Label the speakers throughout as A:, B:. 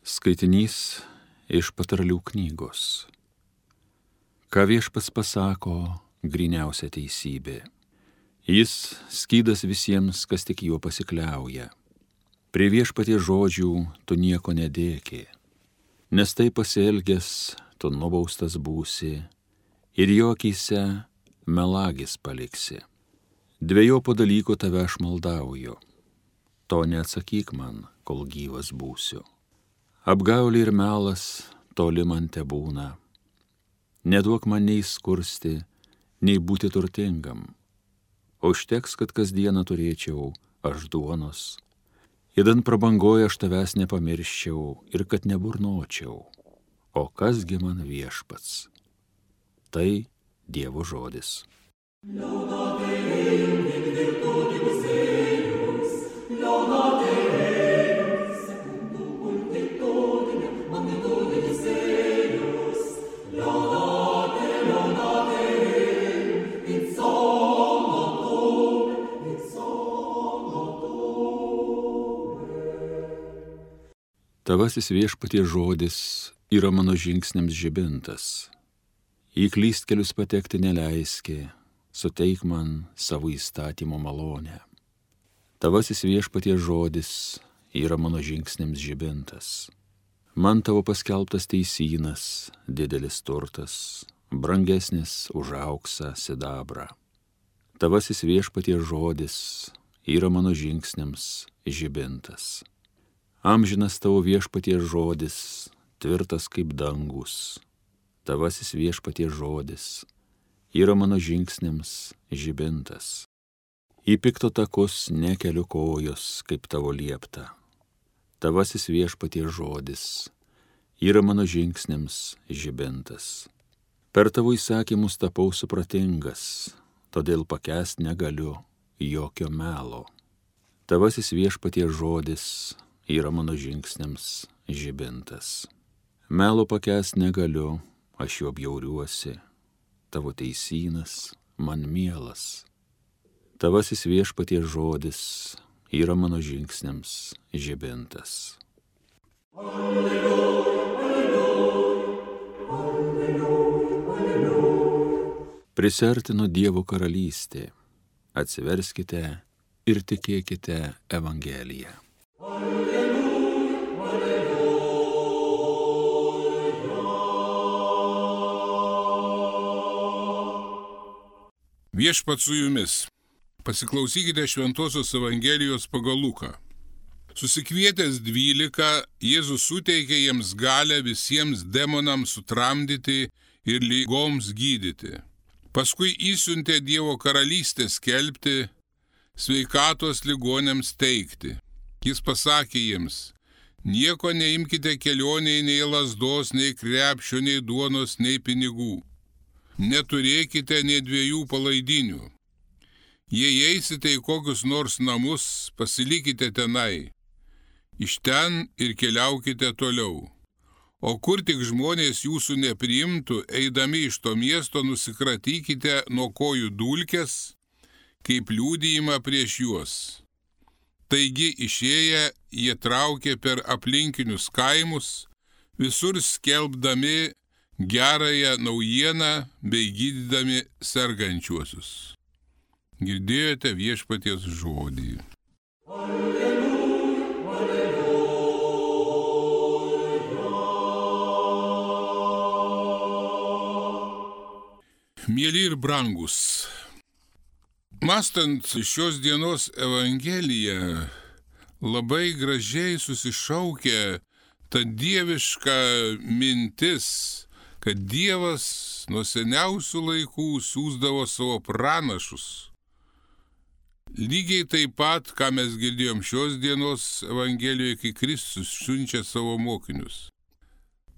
A: Skaitinys iš Patarlių knygos. Ką Viešpats pasako, gryniausia teisybė. Jis skydas visiems, kas tik juo pasikliauja. Prie Viešpaties žodžių tu nieko nedėki, nes tai pasielgęs tu nubaustas būsi ir jo akyse melagis paliksi. Dvejopo dalyko tave aš maldauju, to neatsakyk man, kol gyvas būsiu. Apgaulė ir melas toli man tebūna. Neduok man nei skursti, nei būti turtingam. Užteks, kad kasdieną turėčiau aš duonos. Idant prabangoje aš tavęs nepamirščiau ir kad neburnočiau. O kasgi man Viešpats? Tai Dievo žodis. Tavasis Viešpaties žodis yra mano žingsniams žibintas. Į klystkelius patekti neleiski, suteik man savo įstatymo malonę. Tavasis Viešpaties žodis yra mano žingsniams žibintas. Man tavo paskelbtas teisynas, didelis turtas, brangesnis už auksą sidabrą. Tavasis Viešpaties žodis yra mano žingsniams žibintas. Amžinas tavo Viešpaties žodis, tvirtas kaip dangus. Tavasis Viešpaties žodis yra mano žingsniams žibintas. Į pikto takus nekeliu kojos, kaip tavo liepta. Tavasis Viešpaties žodis yra mano žingsniams žibintas. Per tavo įsakymus tapau supratingas, todėl pakęst negaliu jokio melo. Tavasis Viešpaties žodis yra mano žingsniams žibintas. Melo pakęst negaliu, aš juo bjauriuosi, tavo teisynas man mielas. Tavasis Viešpaties žodis yra mano žingsniams žibintas. Alleluja, alleluja, alleluja, alleluja. Prisiartino Dievo karalystė, atsiverskite ir tikėkite Evangeliją.
B: Viešpats su jumis. Pasiklausykite Šventosios Evangelijos pagal Luką. Susikvietęs 12, Jėzus suteikė jiems galią visiems demonams sutramdyti ir ligoms gydyti. Paskui įsiuntė Dievo karalystę skelbti, sveikatos ligonėms teikti. Jis pasakė jiems: nieko neimkite kelionėje, nei lazdos, nei krepšio, nei duonos, nei pinigų. Neturėkite nė 2 palaidinių. Jei eisite į kokius nors namus, pasilikite tenai. Iš ten ir keliaukite toliau. O kur tik žmonės jūsų nepriimtų, eidami iš to miesto nusikratykite nuo kojų dulkes, kaip liudijimą prieš juos. Taigi išėję jie traukė per aplinkinius kaimus, visur skelbdami gerąją naujieną bei gydydami sergančiuosius. Girdėjote Viešpaties žodį. Alleluja, alleluja. Mieli ir brangus, mąstant šios dienos Evangeliją, labai gražiai susišaukia ta dieviška mintis, kad Dievas nuo seniausių laikų siųsdavo savo pranašus. Lygiai taip pat, ką mes girdėjom šios dienos Evangelijoje, kai Kristus siunčia savo mokinius.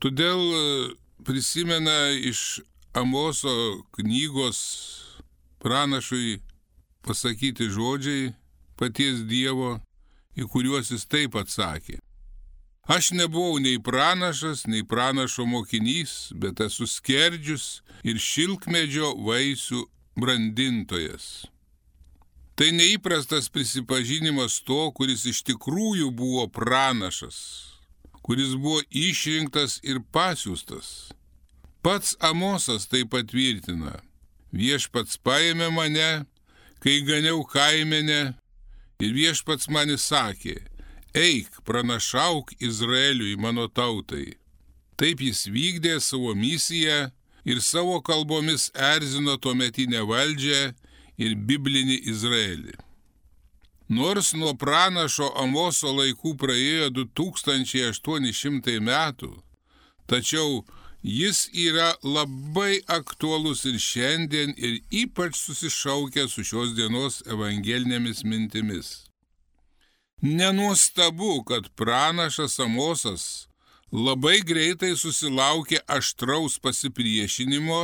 B: Todėl prisimena iš Amoso knygos pranašui pasakyti žodžiai paties Dievo, į kuriuos jis taip atsakė: aš nebuvau nei pranašas, nei pranašo mokinys, bet esu skerdžius ir šilkmedžio vaisių brandintojas. Tai neįprastas prisipažinimas to, kuris iš tikrųjų buvo pranašas, kuris buvo išrinktas ir pasiųstas. Pats Amosas tai patvirtina. Viešpats paėmė mane, kai ganiau kaimenę, ir viešpats man įsakė, eik, pranašauk Izraeliui, mano tautai. Taip jis vykdė savo misiją ir savo kalbomis erzino tuometinę valdžią ir biblinį Izraelį. Nors nuo pranašo Amoso laikų praėjo 2800 metų, tačiau jis yra labai aktuolus ir šiandien ir ypač susišaukia su šios dienos evangelinėmis mintimis. Nenuostabu, kad pranašas Amosas labai greitai susilaukė aštraus pasipriešinimo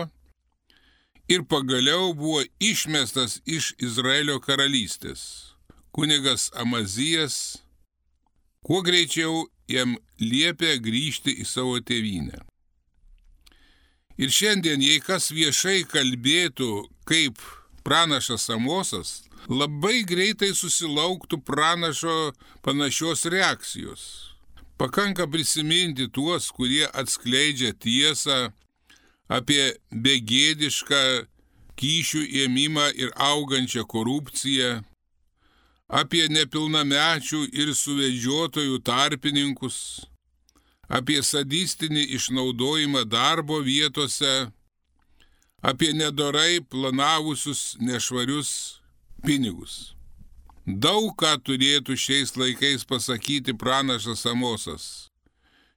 B: ir pagaliau buvo išmestas iš Izraelio karalystės. Kunigas Amazijas kuo greičiau jam liepė grįžti į savo tėvynę. Ir šiandien, jei kas viešai kalbėtų kaip pranašas Amosas, labai greitai susilauktų pranašo panašios reakcijos. Pakanka prisiminti tuos, kurie atskleidžia tiesą apie begėdišką kyšių ėmimą ir augančią korupciją, apie nepilnamečių ir suvedžiotojų tarpininkus, apie sadistinį išnaudojimą darbo vietose, apie nedorai planavusius nešvarius pinigus. Daug ką turėtų šiais laikais pasakyti pranašas Amosas.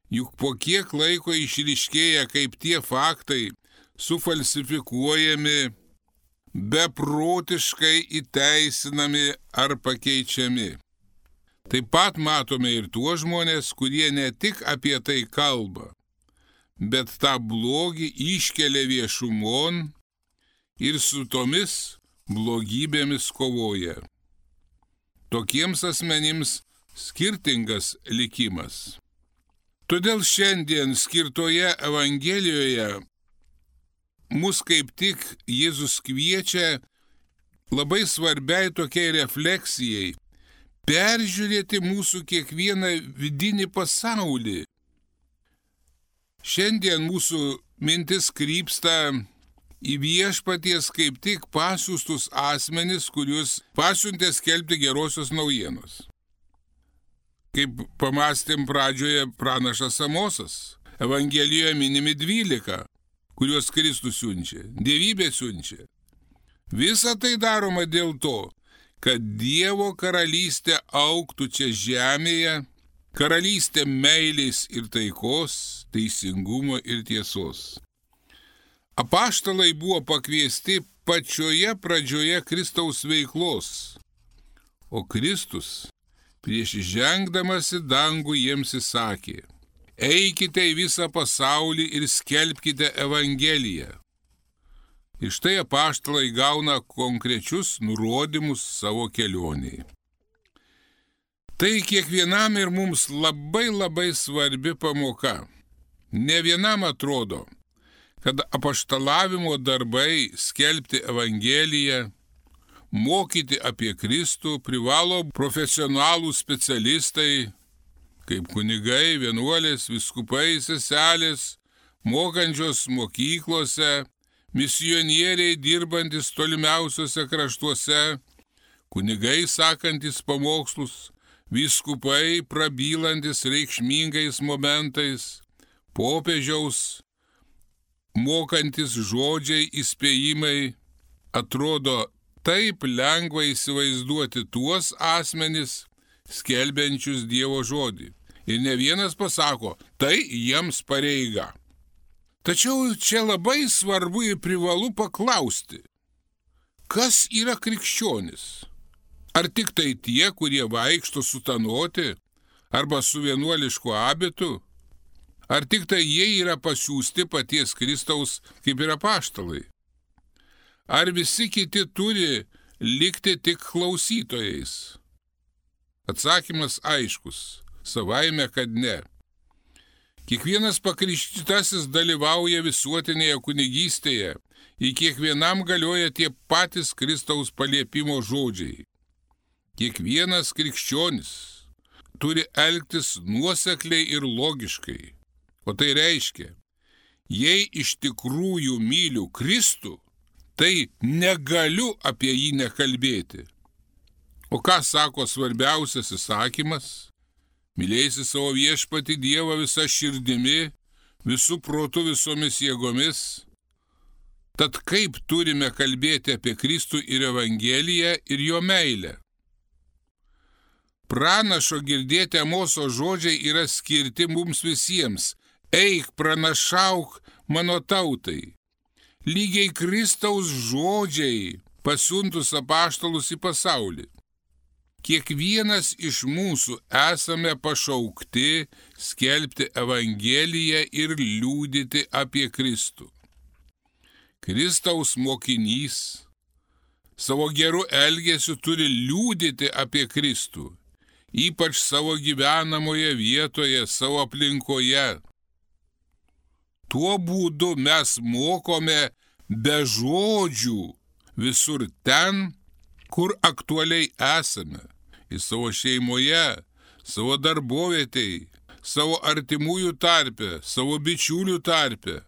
B: Juk po kiek laiko išryškėja, kaip tie faktai sufalsifikuojami, beprotiškai įteisinami ar pakeičiami. Taip pat matome ir tuos žmonės, kurie ne tik apie tai kalba, bet tą blogį iškelia viešumon ir su tomis blogybėmis kovoja. Tokiems asmenims skirtingas likimas. Todėl šiandien skirtoje Evangelijoje mus kaip tik Jėzus kviečia labai svarbiai tokiai refleksijai, peržiūrėti mūsų kiekvieną vidinį pasaulį. Šiandien mūsų mintis krypsta į viešpaties kaip tik pasiųstus asmenis, kuriuos pasiuntė skelbti gerosios naujienos. Kaip pamastėm pradžioje pranašas Amosas, Evangelijoje minimi 12, kuriuos Kristus siunčia, dievybė siunčia. Visa tai daroma dėl to, kad Dievo karalystė augtų čia žemėje, karalystė meilės ir taikos, teisingumo ir tiesos. Apaštalai buvo pakviesti pačioje pradžioje Kristaus veiklos, o Kristus prieš žengdamas į dangų jiems įsakė, eikite į visą pasaulį ir skelbkite Evangeliją. Ir štai apaštalai gauna konkrečius nurodymus savo kelioniai. Tai kiekvienam ir mums labai svarbi pamoka. Ne vienam atrodo, kad apaštalavimo darbai skelbti Evangeliją, mokyti apie Kristų privalo profesionalūs specialistai, kaip kunigai, vienuolės, vyskupai, seselės, mokančios mokyklose, misionieriai dirbantis tolimiausiuose kraštuose, kunigai sakantis pamokslus, vyskupai prabylantis reikšmingais momentais, popiežiaus mokantis žodžiai įspėjimai. Atrodo taip lengva įsivaizduoti tuos asmenis, skelbiančius Dievo žodį. Ir ne vienas pasako, tai jiems pareiga. Tačiau čia labai svarbu ir privalu paklausti, kas yra krikščionis? Ar tik tai tie, kurie vaikšto sutanoti arba su vienuolišku abitu? Ar tik tai jie yra pasiųsti paties Kristaus kaip ir apaštalai? Ar visi kiti turi likti tik klausytojais? Atsakymas aiškus, savaime, kad ne. Kiekvienas pakrikštytasis dalyvauja visuotinėje kunigystėje, į kiekvienam galioja tie patys Kristaus paliepimo žodžiai. Kiekvienas krikščionis turi elgtis nuosekliai ir logiškai. O tai reiškia, jei iš tikrųjų myliu Kristų, tai negaliu apie jį nekalbėti. O ką sako svarbiausias įsakymas? Mylėsi savo viešpatį Dievą visa širdimi, visų protų, visomis jėgomis. Tad kaip turime kalbėti apie Kristų ir Evangeliją ir jo meilę? Pranašo girdėti Amoso žodžiai yra skirti mums visiems. Eik, pranašauk mano tautai. Lygiai Kristaus žodžiai pasiuntus apaštalus į pasaulį. Kiekvienas iš mūsų esame pašaukti skelbti Evangeliją ir liudyti apie Kristų. Kristaus mokinys savo geru elgesiu turi liudyti apie Kristų, ypač savo gyvenamoje vietoje, savo aplinkoje. Tuo būdu mes mokome be žodžių visur ten, kur aktualiai esame, į savo šeimoje, savo darbovietėje, savo artimųjų tarpe, savo bičiulių tarpe,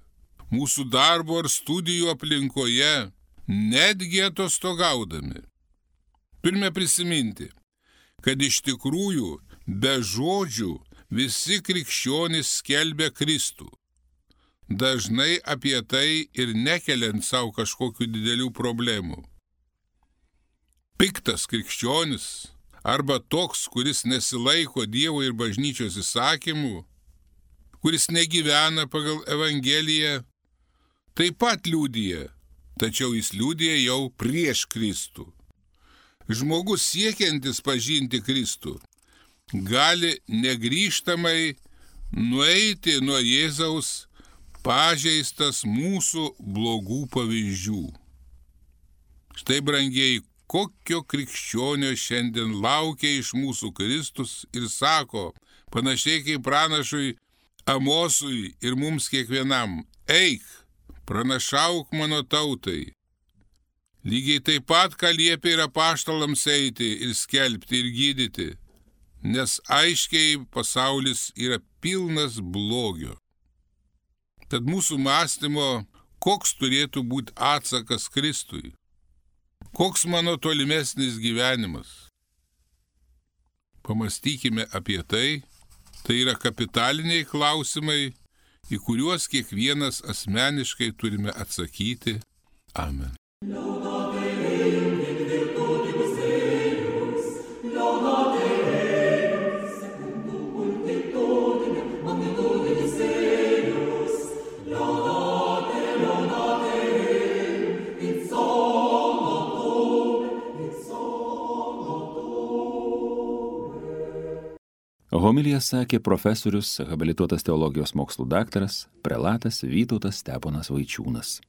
B: mūsų darbo ar studijų aplinkoje, netgi atostogaudami. Turime prisiminti, kad iš tikrųjų be žodžių visi krikščionys skelbia Kristų. Dažnai apie tai ir nekeliant savo kažkokių didelių problemų. Piktas krikščionis arba toks, kuris nesilaiko Dievo ir bažnyčios įsakymų, kuris negyvena pagal Evangeliją, taip pat liudija, tačiau jis liudija jau prieš Kristų. Žmogus siekiantis pažinti Kristų gali negrįžtamai nueiti nuo Jėzaus pažeistas mūsų blogų pavyzdžių. Štai, brangieji, kokio krikščionio šiandien laukia iš mūsų Kristus ir sako, panašiai kaip pranašui Amosui ir mums kiekvienam, eik, pranašauk mano tautai. Lygiai taip pat, ką liepia ir apaštalams eiti ir skelbti ir gydyti, nes aiškiai pasaulis yra pilnas blogio. Tad mūsų mąstymo, koks turėtų būti atsakas Kristui? Koks mano tolimesnis gyvenimas? Pamastykime apie tai. Tai yra kapitaliniai klausimai, į kuriuos kiekvienas asmeniškai turime atsakyti. Amen.
A: Homiliją sakė profesorius, habilituotas teologijos mokslų daktaras, prelatas Vytautas Steponas Vaičiūnas.